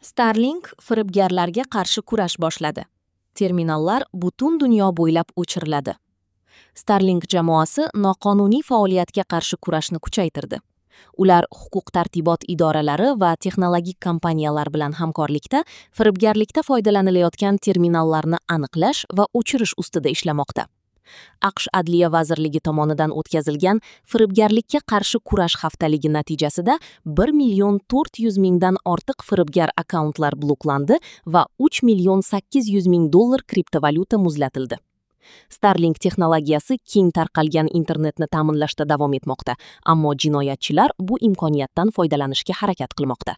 Starlink firibgarlarga qarshi kurash boshladi. Terminallar butun dunyo bo'ylab o'chiriladi. Starlink jamoasi noqonuniy faoliyatga qarshi kurashni kuchaytirdi. Ular huquq-tartibot idoralari va texnologik kompaniyalar bilan hamkorlikda firibgarlikda foydalanilayotgan terminallarni aniqlash va o'chirish ustida ishlamoqda. AQSh Adliya vazirligi tomonidan o'tkazilgan firibgarlikka qarshi kurash haftaligi natijasida 1 million 400 mingdan ortiq firibgar akkauntlar bloklandi va 3 million 800 ming dollar kriptovalyuta muzlatildi. Starlink texnologiyasi keng tarqalgan internetni ta'minlashda davom etmoqda, ammo jinoyatchilar bu imkoniyatdan foydalanishga harakat qilmoqda.